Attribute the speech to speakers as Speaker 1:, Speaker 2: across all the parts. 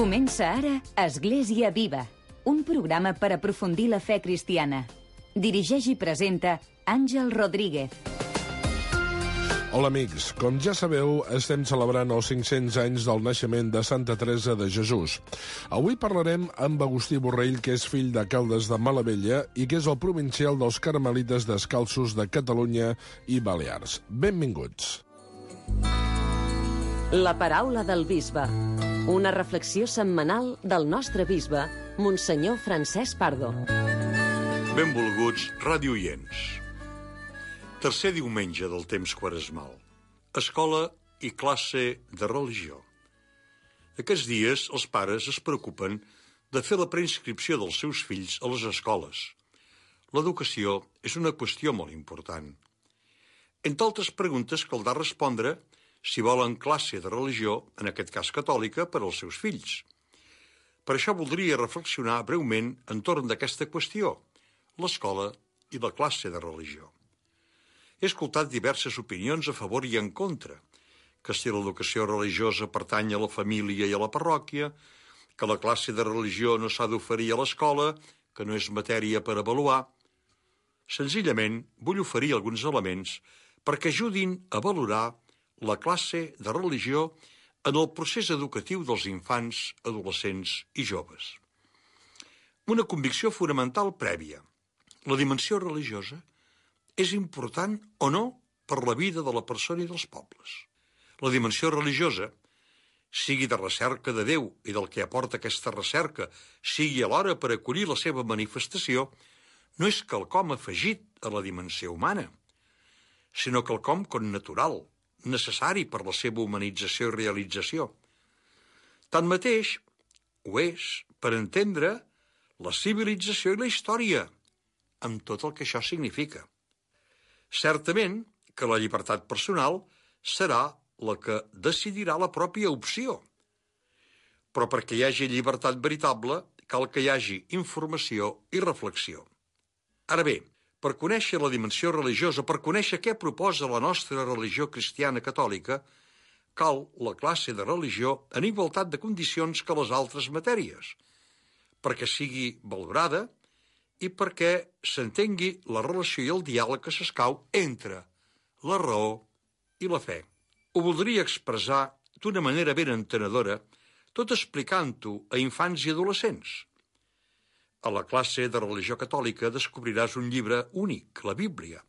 Speaker 1: Comença ara Església Viva, un programa per aprofundir la fe cristiana. Dirigeix i presenta Àngel Rodríguez.
Speaker 2: Hola amics, com ja sabeu, estem celebrant els 500 anys del naixement de Santa Teresa de Jesús. Avui parlarem amb Agustí Borrell, que és fill de Caldes de Malavella i que és el provincial dels Carmelites Descalços de Catalunya i Balears. Benvinguts.
Speaker 3: La paraula del bisbe. Una reflexió setmanal del nostre bisbe, Monsenyor Francesc Pardo.
Speaker 4: Benvolguts radioients. Tercer diumenge del temps quaresmal. Escola i classe de religió. Aquests dies els pares es preocupen de fer la preinscripció dels seus fills a les escoles. L'educació és una qüestió molt important. Entre altres preguntes caldrà respondre si volen classe de religió, en aquest cas catòlica, per als seus fills. Per això voldria reflexionar breument entorn d'aquesta qüestió, l'escola i la classe de religió. He escoltat diverses opinions a favor i en contra, que si l'educació religiosa pertany a la família i a la parròquia, que la classe de religió no s'ha d'oferir a l'escola, que no és matèria per avaluar. Senzillament, vull oferir alguns elements perquè ajudin a valorar la classe de religió en el procés educatiu dels infants, adolescents i joves. Una convicció fonamental prèvia. La dimensió religiosa és important o no per la vida de la persona i dels pobles. La dimensió religiosa, sigui de recerca de Déu i del que aporta aquesta recerca, sigui alhora per acollir la seva manifestació, no és quelcom afegit a la dimensió humana, sinó quelcom connatural, necessari per la seva humanització i realització. Tanmateix, ho és per entendre la civilització i la història, amb tot el que això significa. Certament que la llibertat personal serà la que decidirà la pròpia opció, però perquè hi hagi llibertat veritable cal que hi hagi informació i reflexió. Ara bé, per conèixer la dimensió religiosa, per conèixer què proposa la nostra religió cristiana catòlica, cal la classe de religió en igualtat de condicions que les altres matèries, perquè sigui valorada i perquè s'entengui la relació i el diàleg que s'escau entre la raó i la fe. Ho voldria expressar d'una manera ben entenedora, tot explicant-ho a infants i adolescents. A la classe de religió catòlica descobriràs un llibre únic, la Bíblia.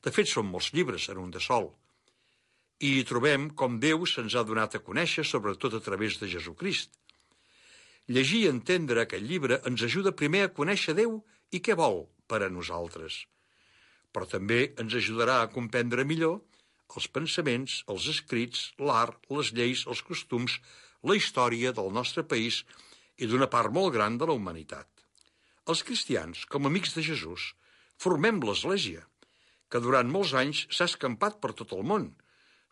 Speaker 4: De fet, són molts llibres en un de sol. I hi trobem com Déu se'ns ha donat a conèixer, sobretot a través de Jesucrist. Llegir i entendre aquest llibre ens ajuda primer a conèixer Déu i què vol per a nosaltres. Però també ens ajudarà a comprendre millor els pensaments, els escrits, l'art, les lleis, els costums, la història del nostre país i d'una part molt gran de la humanitat. Els cristians, com a amics de Jesús, formem l'Església, que durant molts anys s'ha escampat per tot el món,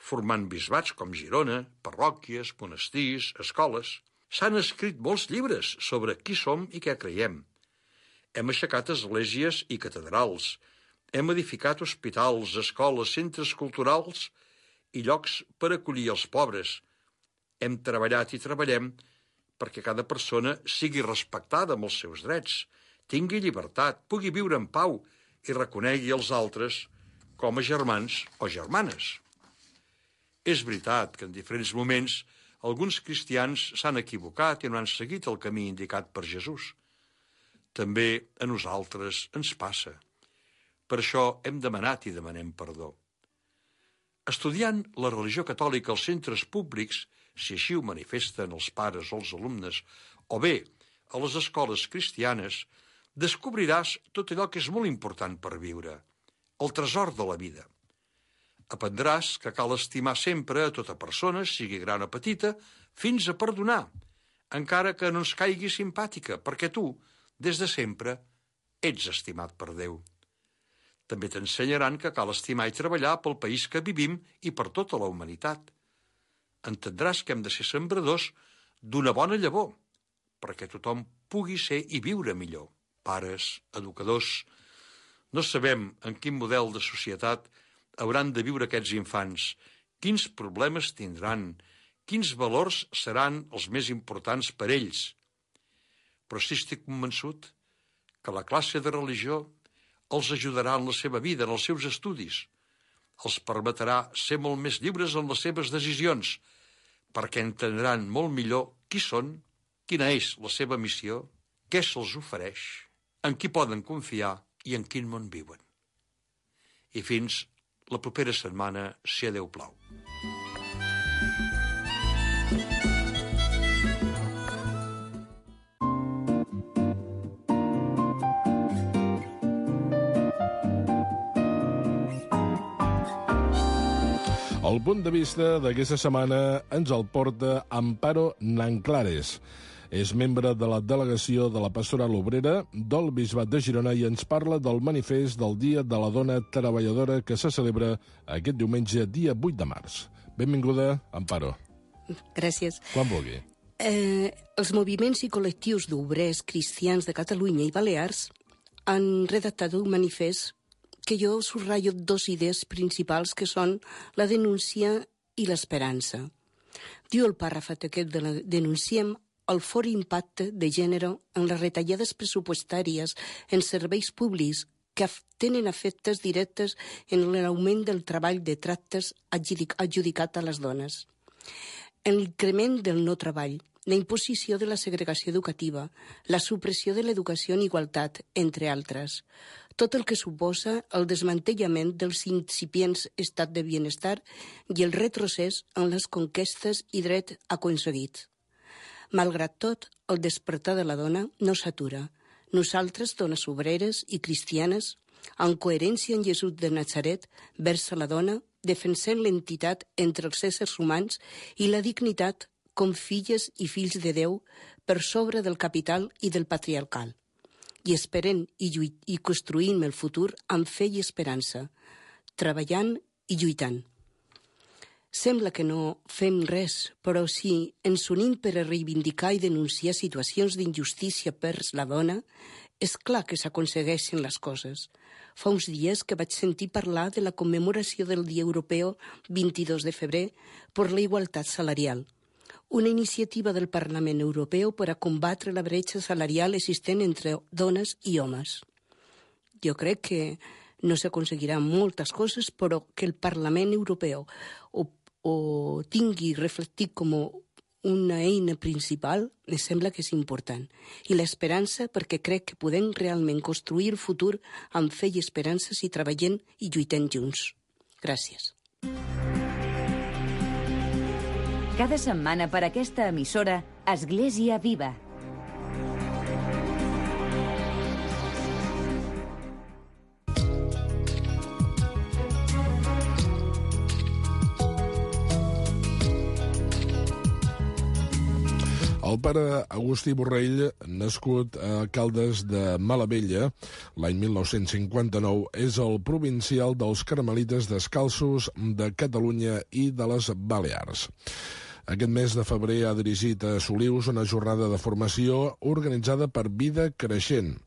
Speaker 4: formant bisbats com Girona, parròquies, monestirs, escoles. S'han escrit molts llibres sobre qui som i què creiem. Hem aixecat esglésies i catedrals, hem edificat hospitals, escoles, centres culturals i llocs per acollir els pobres. Hem treballat i treballem perquè cada persona sigui respectada amb els seus drets, tingui llibertat, pugui viure en pau i reconegui els altres com a germans o germanes. És veritat que en diferents moments alguns cristians s'han equivocat i no han seguit el camí indicat per Jesús. També a nosaltres ens passa. Per això hem demanat i demanem perdó. Estudiant la religió catòlica als centres públics, si així ho manifesten els pares o els alumnes, o bé a les escoles cristianes, descobriràs tot allò que és molt important per viure, el tresor de la vida. Aprendràs que cal estimar sempre a tota persona, sigui gran o petita, fins a perdonar, encara que no ens caigui simpàtica, perquè tu, des de sempre, ets estimat per Déu. També t'ensenyaran que cal estimar i treballar pel país que vivim i per tota la humanitat. Entendràs que hem de ser sembradors d'una bona llavor, perquè tothom pugui ser i viure millor. Pares, educadors, no sabem en quin model de societat hauran de viure aquests infants, quins problemes tindran, quins valors seran els més importants per ells. Però sí estic convençut que la classe de religió els ajudarà en la seva vida, en els seus estudis. Els permetrà ser molt més lliures en les seves decisions, perquè entendran molt millor qui són, quina és la seva missió, què se'ls ofereix, en qui poden confiar i en quin món viuen. I fins la propera setmana, si a Déu plau.
Speaker 2: El punt de vista d'aquesta setmana ens el porta Amparo Nanclares. És membre de la delegació de la Pastoral Obrera del Bisbat de Girona i ens parla del manifest del Dia de la Dona Treballadora que se celebra aquest diumenge, dia 8 de març. Benvinguda, Amparo.
Speaker 5: Gràcies.
Speaker 2: Quan vulgui.
Speaker 5: Els moviments i col·lectius d'obrers cristians de Catalunya i Balears han redactat un manifest que jo subratllo dos idees principals que són la denúncia i l'esperança. Diu el pàrraf aquest de la denunciem el fort impacte de gènere en les retallades pressupostàries en serveis públics que tenen efectes directes en l'augment del treball de tractes adjudicat a les dones. En l'increment del no treball, la imposició de la segregació educativa, la supressió de l'educació en igualtat, entre altres. Tot el que suposa el desmantellament dels incipients estat de benestar i el retrocés en les conquestes i drets aconseguits. Malgrat tot, el despertar de la dona no s'atura. Nosaltres, dones obreres i cristianes, en coherència amb Jesús de Natzaret, vers la dona, defensem l'entitat entre els éssers humans i la dignitat com filles i fills de Déu per sobre del capital i del patriarcal. I esperem i construïm el futur amb fe i esperança, treballant i lluitant. Sembla que no fem res, però si ens unim per a reivindicar i denunciar situacions d'injustícia per la dona, és clar que s'aconsegueixen les coses. Fa uns dies que vaig sentir parlar de la commemoració del Dia Europeu 22 de febrer per la igualtat salarial, una iniciativa del Parlament Europeu per a combatre la bretxa salarial existent entre dones i homes. Jo crec que no s'aconseguiran moltes coses, però que el Parlament Europeu o tingui reflectit com una eina principal, em sembla que és important. I l'esperança, perquè crec que podem realment construir el futur amb fe i esperança si treballem i lluitem junts. Gràcies.
Speaker 1: Cada setmana per aquesta emissora, Església Viva.
Speaker 2: El pare Agustí Borrell, nascut a Caldes de Malavella l'any 1959, és el provincial dels Carmelites Descalços de Catalunya i de les Balears. Aquest mes de febrer ha dirigit a Solius una jornada de formació organitzada per Vida Creixent.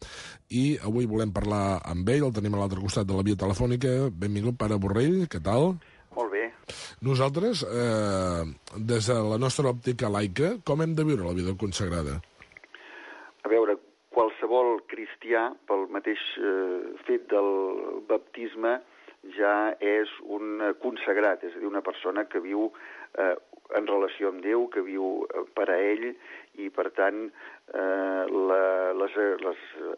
Speaker 2: I avui volem parlar amb ell, el tenim a l'altre costat de la via telefònica. Benvingut, pare Borrell, què tal?
Speaker 6: Molt bé.
Speaker 2: Nosaltres, des de la nostra òptica laica, com hem de viure la vida consagrada?
Speaker 6: A veure, qualsevol cristià, pel mateix fet del baptisme, ja és un consagrat, és a dir, una persona que viu en relació amb Déu, que viu per a ell, i per tant les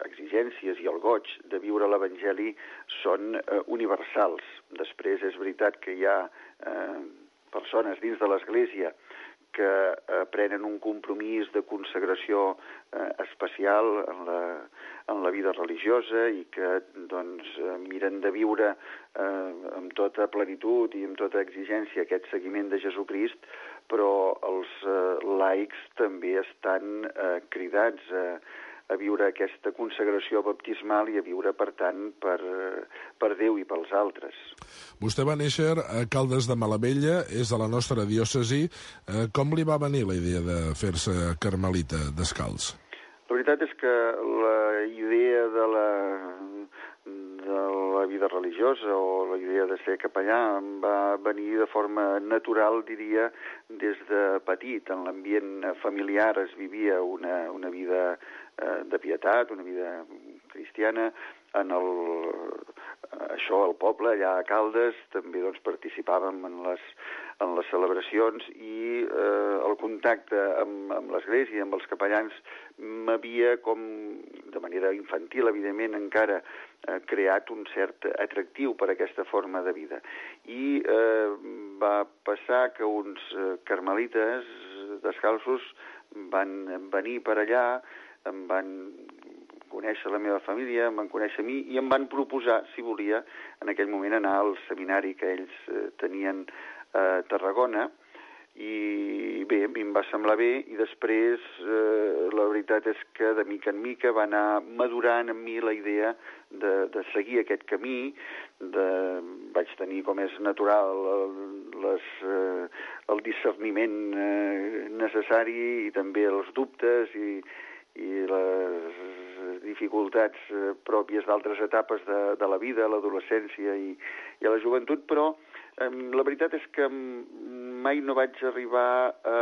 Speaker 6: exigències i el goig de viure l'Evangeli són universals. Després és veritat que hi ha persones dins de l'Església que prenen un compromís de consagració especial en la vida religiosa i que doncs, miren de viure amb tota plenitud i amb tota exigència aquest seguiment de Jesucrist, però els laics també estan cridats a viure aquesta consagració baptismal i a viure, per tant, per Déu i pels altres.
Speaker 2: Vostè va néixer a Caldes de Malavella, és de la nostra diòcesi. Com li va venir la idea de fer-se carmelita descalç?
Speaker 6: La veritat és que la idea de la vida religiosa o la idea de ser capellà em va venir de forma natural, diria, des de petit. En l'ambient familiar es vivia una vida de pietat, una vida cristiana. Això al poble, allà a Caldes, també doncs, participàvem en les celebracions i el contacte amb l'Església, amb els capellans, m'havia, com de manera infantil, evidentment, encara creat un cert atractiu per aquesta forma de vida. I va passar que uns carmelites descalços van venir per allà, em van conèixer la meva família, em van conèixer a mi i em van proposar, si volia, en aquell moment anar al seminari que ells tenien a Tarragona, i bé, a mi em va semblar bé, i després la veritat és que de mica en mica va anar madurant en mi la idea de seguir aquest camí. Vaig tenir, com és natural, el discerniment necessari i també els dubtes i les dificultats pròpies d'altres etapes de la vida, l'adolescència i a la joventut, però la veritat és que mai no vaig arribar a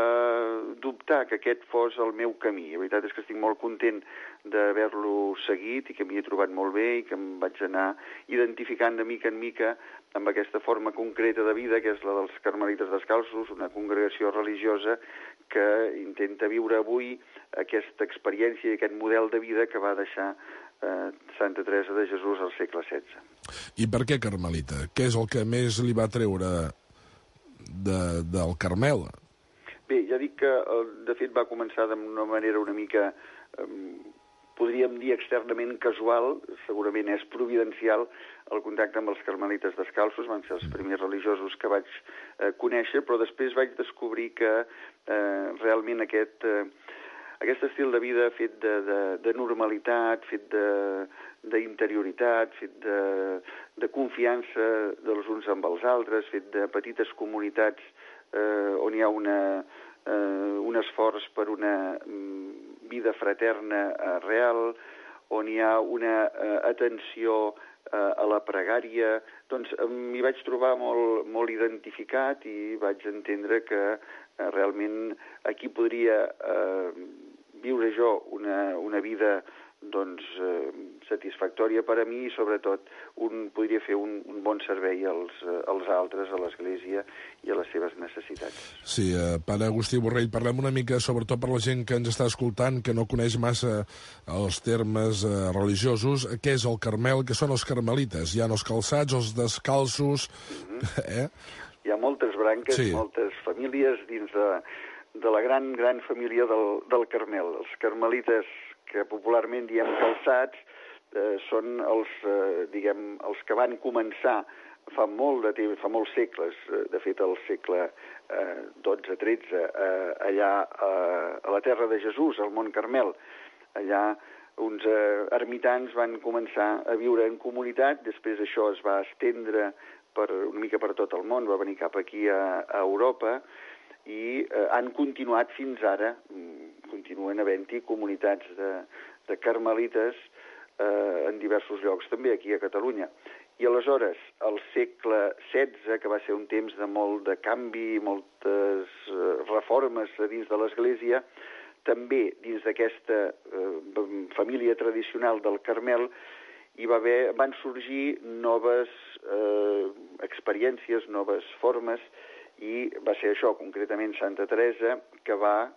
Speaker 6: dubtar que aquest fos el meu camí. La veritat és que estic molt content d'haver-lo seguit i que m'hi he trobat molt bé i que em vaig anar identificant de mica en mica amb aquesta forma concreta de vida, que és la dels Carmelites Descalços, una congregació religiosa que intenta viure avui aquesta experiència i aquest model de vida que va deixar Santa Teresa de Jesús al segle XVI.
Speaker 2: I per què Carmelita? Què és el que més li va treure del Carmel?
Speaker 6: Bé, ja dic que, de fet, va començar d'una manera una mica, podríem dir externament casual, segurament és providencial, el contacte amb els Carmelites Descalços. Van ser els primers religiosos que vaig conèixer, però després vaig descobrir que realment aquest estil de vida fet de normalitat, fet d'interioritat, fet de confiança dels uns amb els altres, fet de petites comunitats on hi ha un esforç per una vida fraterna real, on hi ha una atenció a la pregària, doncs m'hi vaig trobar molt identificat i vaig entendre que realment aquí podria viure jo una vida doncs satisfactòria per a mi i sobretot podria fer un bon servei als altres, a l'Església i a les seves necessitats.
Speaker 2: Sí, Pare Agustí Borrell, parlem una mica sobretot per la gent que ens està escoltant, que no coneix massa els termes religiosos. Què és el Carmel? Què són els carmelites? Hi ha els calçats, els descalços...
Speaker 6: Hi ha moltes branques, sí. Moltes famílies dins de la gran família del Carmel. Els carmelites, que popularment diem calçats, són els que van començar fa molt de temps, fa molts segles, de fet el segle XII-XIII, allà a la terra de Jesús, al Mont Carmel. Allà uns ermitans van començar a viure en comunitat, després això es va estendre una mica per tot el món, va venir cap aquí a Europa i han continuat fins ara, continuen havent-hi comunitats de carmelites en diversos llocs, també aquí a Catalunya. I aleshores, al segle XVI, que va ser un temps de molt de canvi, moltes reformes dins de l'Església, també dins d'aquesta família tradicional del Carmel van sorgir noves experiències, noves formes, i va ser això, concretament Santa Teresa, que va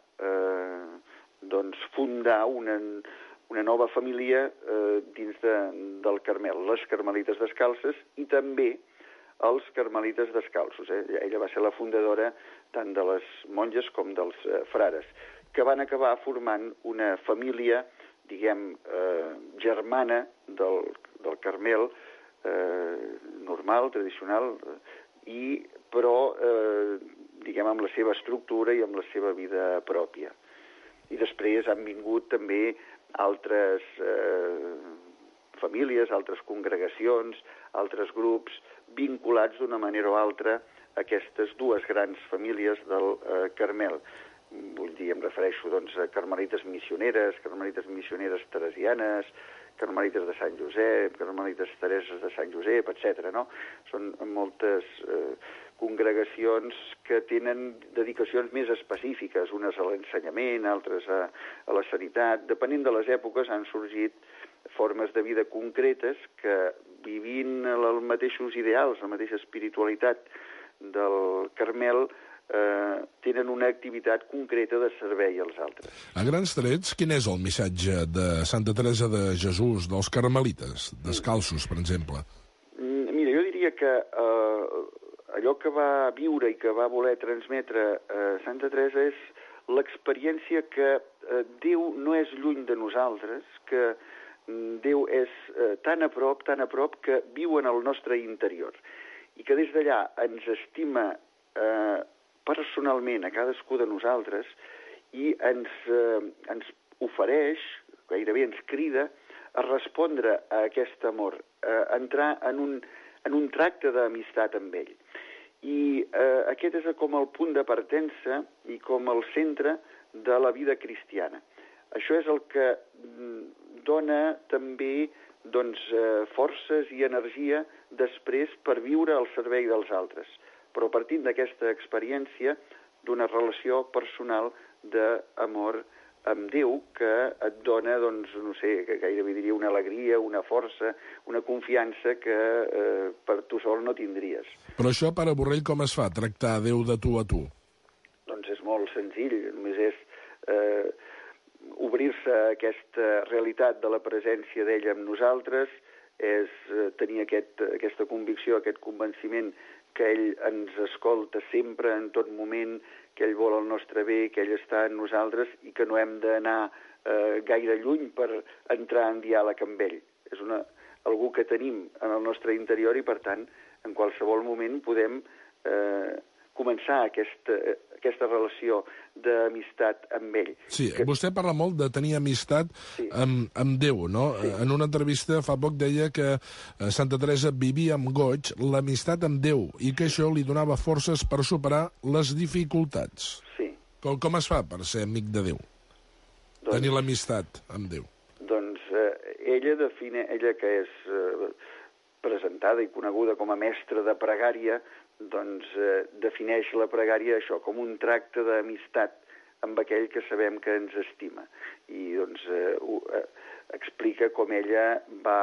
Speaker 6: fundar una nova família dins del Carmel, les Carmelites Descalces i també els Carmelites Descalços. Ella va ser la fundadora tant de les monges com dels frares, que van acabar formant una família, diguem, germana del Carmel, normal, tradicional, però, diguem, amb la seva estructura i amb la seva vida pròpia. I després han vingut també altres famílies, altres congregacions, altres grups vinculats d'una manera o altra a aquestes dues grans famílies del Carmel. vull dir, em refereixo doncs, a carmelites missioneres teresianes, carmelites de Sant Josep, carmelites Tereses de Sant Josep, etc. No? Són moltes congregacions que tenen dedicacions més específiques, unes a l'ensenyament, altres a la sanitat. Depenent de les èpoques han sorgit formes de vida concretes que, vivint els mateixos ideals, la mateixa espiritualitat del Carmel, tenen una activitat concreta de servei als altres.
Speaker 2: A grans trets, quin és el missatge de Santa Teresa de Jesús, dels carmelites, descalços, per exemple?
Speaker 6: Mira, jo diria que allò que va viure i que va voler transmetre Santa Teresa és l'experiència que Déu no és lluny de nosaltres, que Déu és tan a prop, que viu en el nostre interior, i que des d'allà ens estima personalment a cadascú de nosaltres i ens ofereix, gairebé ens crida, a respondre a aquest amor, a entrar en un tracte d'amistat amb ell. I aquest és com el punt de partença i com el centre de la vida cristiana. Això és el que dona també forces i energia després per viure al servei dels altres, però partint d'aquesta experiència d'una relació personal d'amor amb Déu que et dona, no sé, que gairebé diria una alegria, una força, una confiança que per tu sol no tindries.
Speaker 2: Però això, pare Borrell, com es fa, tractar Déu de tu a tu?
Speaker 6: Doncs és molt senzill, només és obrir-se a aquesta realitat de la presència d'ell amb nosaltres, és tenir aquesta convicció, aquest convenciment que ell ens escolta sempre, en tot moment, que ell vol el nostre bé, que ell està en nosaltres i que no hem d'anar gaire lluny per entrar en diàleg amb ell. És algú que tenim en el nostre interior i, per tant, en qualsevol moment podem començar aquesta relació d'amistat amb ell.
Speaker 2: Sí, vostè parla molt de tenir amistat amb Déu, no? Sí. En una entrevista fa poc deia que Santa Teresa vivia amb goig l'amistat amb Déu i que això li donava forces per superar les dificultats.
Speaker 6: Sí.
Speaker 2: Com es fa per ser amic de Déu? Tenir l'amistat amb Déu.
Speaker 6: Doncs ella que és presentada i coneguda com a mestra de pregària, doncs defineix la pregària això, com un tracte d'amistat amb aquell que sabem que ens estima. I doncs explica com ella va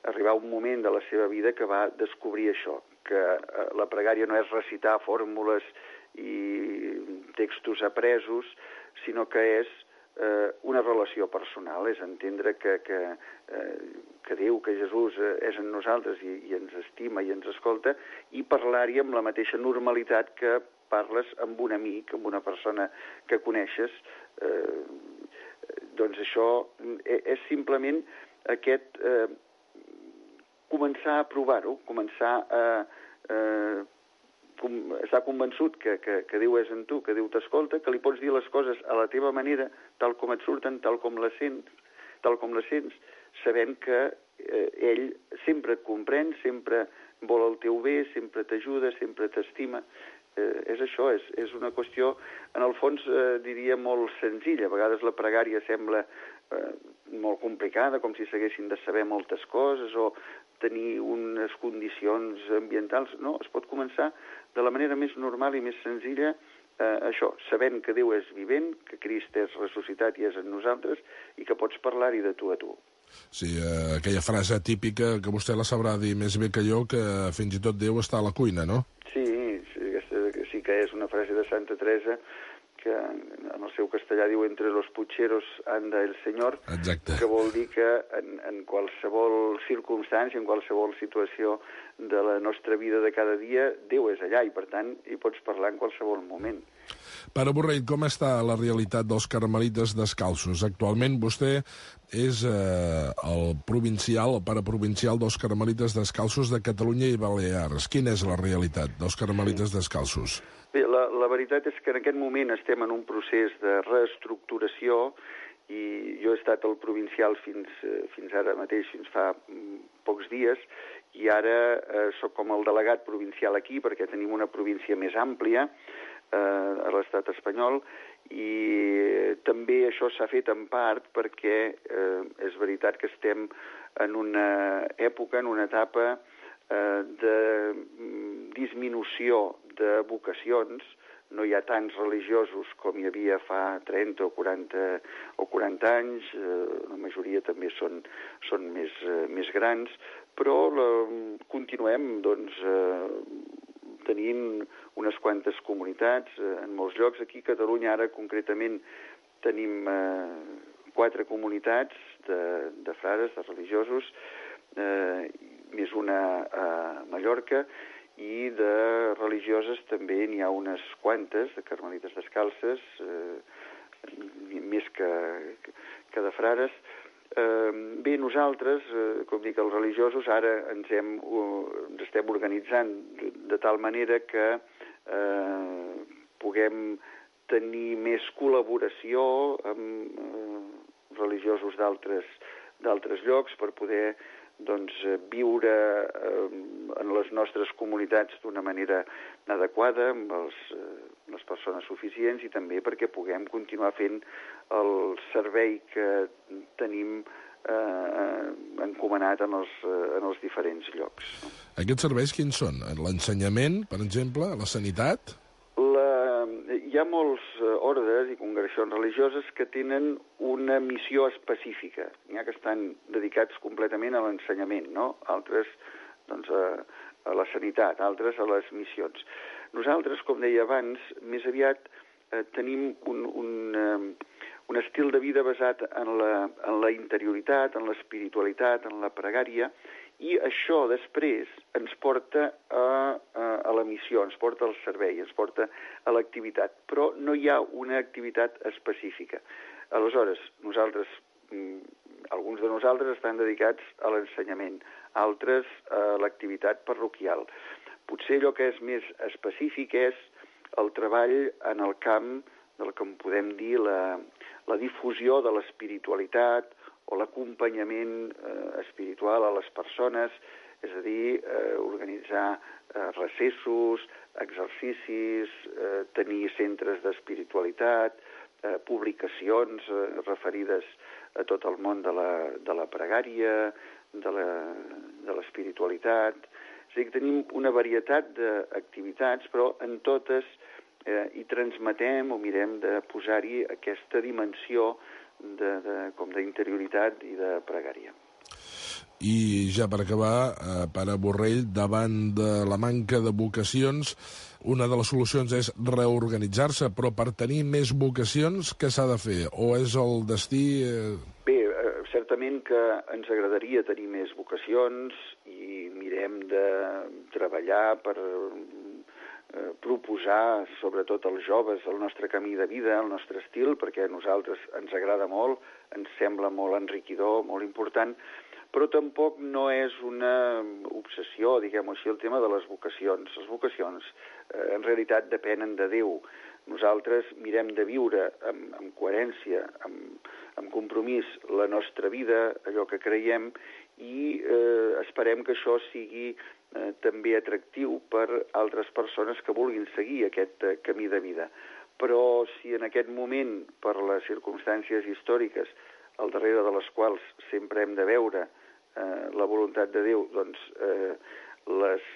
Speaker 6: arribar a un moment de la seva vida que va descobrir això, que la pregària no és recitar fórmules i textos apresos, sinó que és una relació personal, és entendre que Déu, que Jesús és en nosaltres i ens estima i ens escolta, i parlar-hi amb la mateixa normalitat que parles amb un amic, amb una persona que coneixes. Doncs això és simplement aquest començar a provar-ho, començar a estar convençut que Déu és en tu, que Déu t'escolta, que li pots dir les coses a la teva manera, tal com et surten, tal com les sents, sabent que ell sempre et comprèn, sempre vol el teu bé, sempre t'ajuda, sempre t'estima. És això, és una qüestió, en el fons, diria, molt senzilla. A vegades la pregària sembla molt complicada, com si s'haguessin de saber moltes coses o tenir unes condicions ambientals. No, es pot començar de la manera més normal i més senzilla, això, sabent que Déu és vivent, que Crist és ressuscitat i és en nosaltres i que pots parlar-hi de tu a tu.
Speaker 2: Sí, aquella frase típica que vostè la sabrà dir més bé que jo, que fins i tot Déu està a la cuina, no?
Speaker 6: Sí, aquesta sí que és una frase de Santa Teresa que en el seu castellà diu entre los pucheros anda el Señor.
Speaker 2: Exacte.
Speaker 6: Que vol dir que en qualsevol circumstància, en qualsevol situació de la nostra vida de cada dia, Déu és allà i, per tant, hi pots parlar en qualsevol moment.
Speaker 2: Pare Borrell, com està la realitat dels carmelites descalços? Actualment vostè és el provincial, el pare provincial dels carmelites descalços de Catalunya i Balears. Quina és la realitat dels carmelites descalços?
Speaker 6: Bé, la veritat és que en aquest moment estem en un procés de reestructuració i jo he estat el provincial fins ara mateix, fins fa pocs dies, i ara sóc com el delegat provincial aquí perquè tenim una província més àmplia. a l'estat espanyol, i també això s'ha fet en part perquè és veritat que estem en una època, en una etapa de disminució de vocacions. No hi ha tants religiosos com hi havia fa 30 o 40 anys, la majoria també són més grans, però continuem tenint unes quantes comunitats en molts llocs. Aquí a Catalunya ara concretament tenim 4 comunitats de frares, de religiosos, més una a Mallorca, i de religioses també n'hi ha unes quantes, de carmelites descalces, més que de frares. Bé, nosaltres, com dic, els religiosos, ara ens estem organitzant de tal manera que puguem tenir més col·laboració amb religiosos d'altres llocs per poder viure en les nostres comunitats d'una manera adequada, amb les persones suficients, i també perquè puguem continuar fent el servei que tenim encomanat en els diferents llocs.
Speaker 2: Aquests serveis quins són? L'ensenyament, per exemple, la sanitat?
Speaker 6: Hi ha molts ordes i congregacions religioses que tenen una missió específica. N'hi ha que estan dedicats completament a l'ensenyament, no? Altres a la sanitat, altres a les missions. Nosaltres, com deia abans, més aviat tenim un estil de vida basat en la interioritat, en l'espiritualitat, en la pregària, i això després ens porta a la missió, ens porta al servei, ens porta a l'activitat, però no hi ha una activitat específica. Aleshores, alguns de nosaltres estan dedicats a l'ensenyament, altres a l'activitat parroquial. Potser allò que és més específic és el treball en el camp del que en podem dir la difusió de l'espiritualitat o l'acompanyament espiritual a les persones, és a dir, organitzar recessos, exercicis, tenir centres d'espiritualitat, publicacions referides a tot el món de la pregària, de l'espiritualitat. És a dir, que tenim una varietat d'activitats, però en totes hi transmetem o mirem de posar-hi aquesta dimensió com d'interioritat i de pregària.
Speaker 2: I ja per acabar, pare Borrell, davant de la manca de vocacions, una de les solucions és reorganitzar-se, però per tenir més vocacions, què s'ha de fer? O és el destí...
Speaker 6: Bé, certament que ens agradaria tenir més vocacions i mirem de treballar per proposar, sobretot als joves, el nostre camí de vida, el nostre estil, perquè a nosaltres ens agrada molt, ens sembla molt enriquidor, molt important, però tampoc no és una obsessió, diguem-ho així, el tema de les vocacions. Les vocacions, en realitat, depenen de Déu. Nosaltres mirem de viure amb coherència, amb compromís, la nostra vida, allò que creiem, i esperem que això sigui també atractiu per altres persones que vulguin seguir aquest camí de vida. Però si en aquest moment, per les circumstàncies històriques, al darrere de les quals sempre hem de veure la voluntat de Déu, doncs les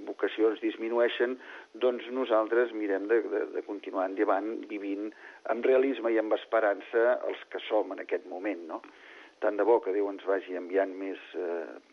Speaker 6: vocacions disminueixen, doncs nosaltres mirem de continuar endavant vivint amb realisme i amb esperança els que som en aquest moment, no? Tant de bo que Déu ens vagi enviant més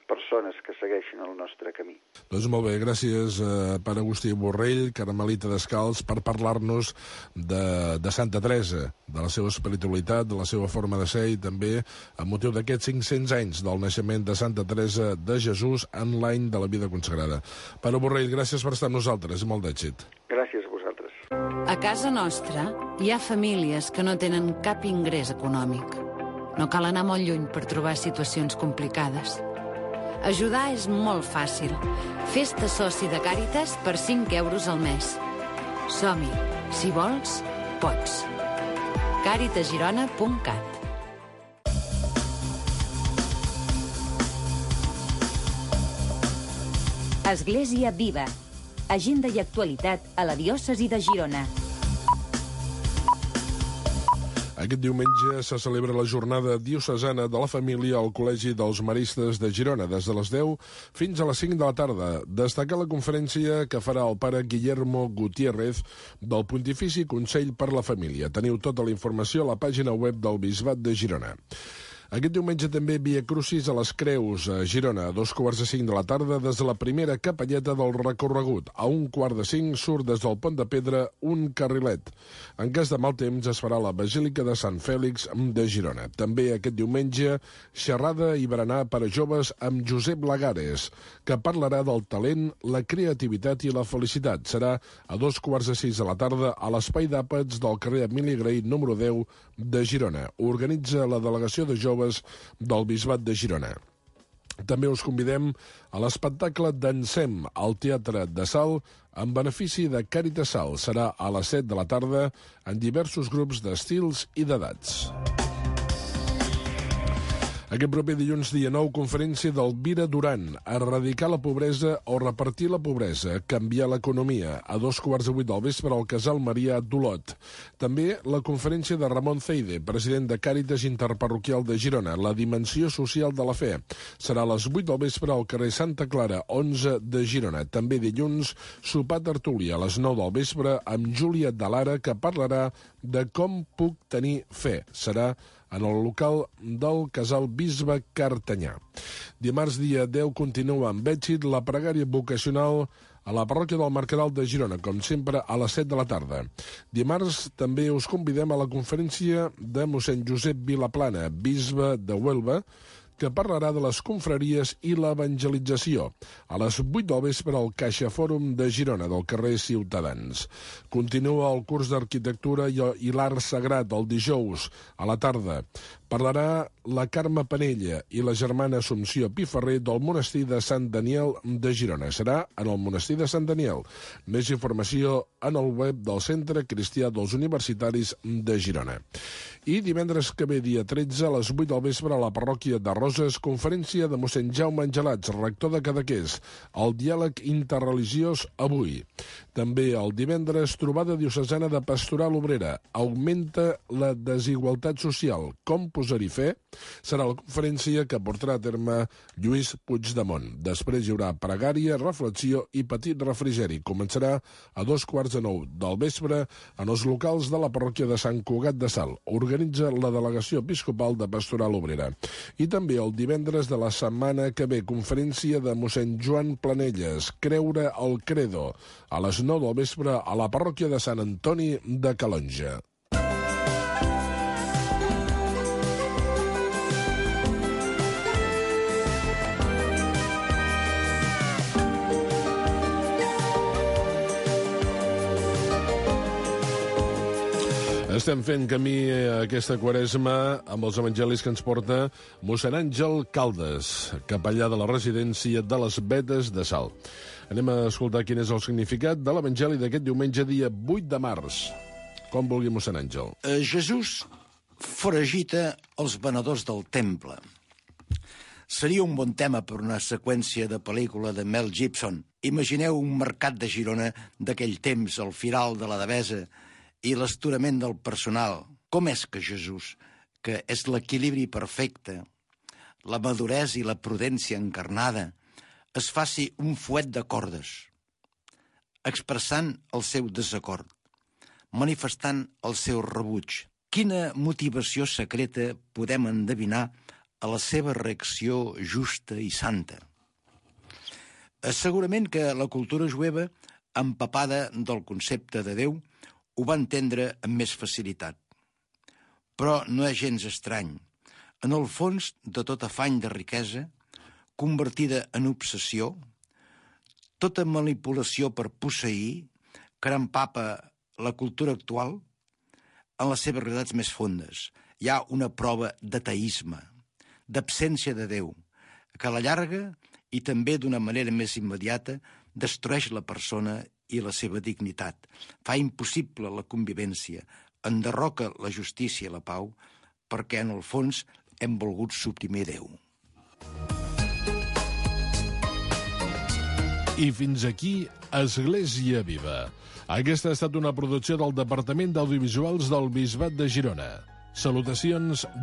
Speaker 6: persones que segueixin el nostre camí.
Speaker 2: Doncs molt bé, gràcies pare Agustí Borrell, carmelita descalç, per parlar-nos de Santa Teresa, de la seva espiritualitat, de la seva forma de ser i també amb motiu d'aquests 500 anys del naixement de Santa Teresa de Jesús en l'any de la vida consagrada. Pare Borrell, gràcies per estar amb nosaltres i molt d'èxit.
Speaker 6: Gràcies a vosaltres.
Speaker 7: A casa nostra hi ha famílies que no tenen cap ingrés econòmic. No cal anar molt lluny per trobar situacions complicades. Ajudar és molt fàcil. Fes-te soci de Càritas per 5 euros al mes. Som-hi. Si vols, pots. caritasgirona.cat.
Speaker 1: Església Viva. agenda i actualitat a la diòcesi de Girona.
Speaker 2: Aquest diumenge se celebra la jornada diocesana de la família al Col·legi dels Maristes de Girona, des de les 10 fins a les 5 de la tarda. Destacar la conferència que farà el pare Guillermo Gutiérrez del Pontifici Consell per la Família. Teniu tota la informació a la pàgina web del Bisbat de Girona. Aquest diumenge també Via Crucis a les Creus, a Girona, a 2:45 de la tarda, des de la primera capelleta del recorregut. A 1:45 surt des del Pont de Pedra un carrilet. En cas de mal temps es farà la Basílica de Sant Fèlix de Girona. També aquest diumenge xerrada i berenar per a joves amb Josep Lagares, que parlarà del talent, la creativitat i la felicitat. Serà a 2:15 de la tarda a l'Espai d'Àpats del carrer Emili Grey, número 10 de Girona. Organitza la delegació de joves del Bisbat de Girona. També us convidem a l'espectacle Dansem al Teatre de Salt en benefici de Càritas Salt. Serà a les 7 de la tarda en diversos grups d'estils i d'edats. Aquest proper dilluns, dia 9, conferència d'Elvira Duran, erradicar la pobresa o repartir la pobresa, canviar l'economia, a 2:15 del vespre al Casal Marià d'Olot. També la conferència de Ramon Ceide, president de Càritas Interparroquial de Girona, la dimensió social de la fe. Serà a les 8 del vespre al carrer Santa Clara, 11 de Girona. També dilluns, sopar tertúlia a les 9 del vespre amb Júlia de Lara, que parlarà de com puc tenir fe. Serà en el local del Casal Bisbe Cartanyà. Dimarts, dia 10, continua amb èxit la pregària vocacional a la parròquia del Mercadal de Girona, com sempre, a les 7 de la tarda. Dimarts també us convidem a la conferència de mossèn Josep Vilaplana, bisbe de Huelva, que parlarà de les confraries i l'evangelització. A les 8 del vespre al Caixa Fòrum de Girona, del carrer Ciutadans. Continua el curs d'arquitectura i l'art sagrat el dijous a la tarda. Parlarà la Carme Penella i la germana Assumpció Piferrer del monestir de Sant Daniel de Girona. Serà en el monestir de Sant Daniel. Més informació en el web del Centre Cristià dels Universitaris de Girona. I divendres que ve, dia 13, a les 8 del vespre, a la parròquia de Roses, conferència de mossèn Jaume Angelats, rector de Cadaqués. El diàleg interreligiós avui. També el divendres, trobada diocesana de Pastoral Obrera. Augmenta la desigualtat social. Com posar-hi fe? Serà la conferència que portarà a terme Lluís Puigdemont. Després hi haurà pregària, reflexió i petit refrigeri. Començarà a 2:15 del vespre en els locals de la parròquia de Sant Cugat de Salt. Organitza la delegació episcopal de Pastoral Obrera. I també el divendres de la setmana que ve, conferència de mossèn Joan Planelles, Creure el Credo, a les 9 del vespre a la parròquia de Sant Antoni de Calonja. Estem fent camí a aquesta quaresma amb els evangelis que ens porta mossèn Àngel Caldes, capellà de la residència de les Vedes de Salt. Anem a escoltar quin és el significat de l'evangeli d'aquest diumenge, dia 8 de març. Com vulgui, mossèn Àngel.
Speaker 8: Jesús foragita els venedors del temple. Seria un bon tema per una seqüència de pel·lícula de Mel Gibson. Imagineu un mercat de Girona d'aquell temps, el firal de la Devesa, i l'esturament del personal. Com és que Jesús, que és l'equilibri perfecte, la maduresa i la prudència encarnada, es faci un fuet de cordes, expressant el seu desacord, manifestant el seu rebuig? Quina motivació secreta podem endevinar a la seva reacció justa i santa? Segurament que la cultura jueva, empapada del concepte de Déu, ho va entendre amb més facilitat. Però no és gens estrany. En el fons de tot afany de riquesa, convertida en obsessió, tota manipulació per posseir, que empapa la cultura actual, en les seves realitats més fondes. Hi ha una prova d'ateisme, d'absència de Déu, que a la llarga i també d'una manera més immediata destrueix la persona i la seva dignitat, fa impossible la convivència, enderroca la justícia i la pau, perquè en el fons hem volgut suprimir Déu.
Speaker 2: I fins aquí Església Viva. Aquesta ha estat una producció del Departament d'Audiovisuals del Bisbat de Girona. Salutacions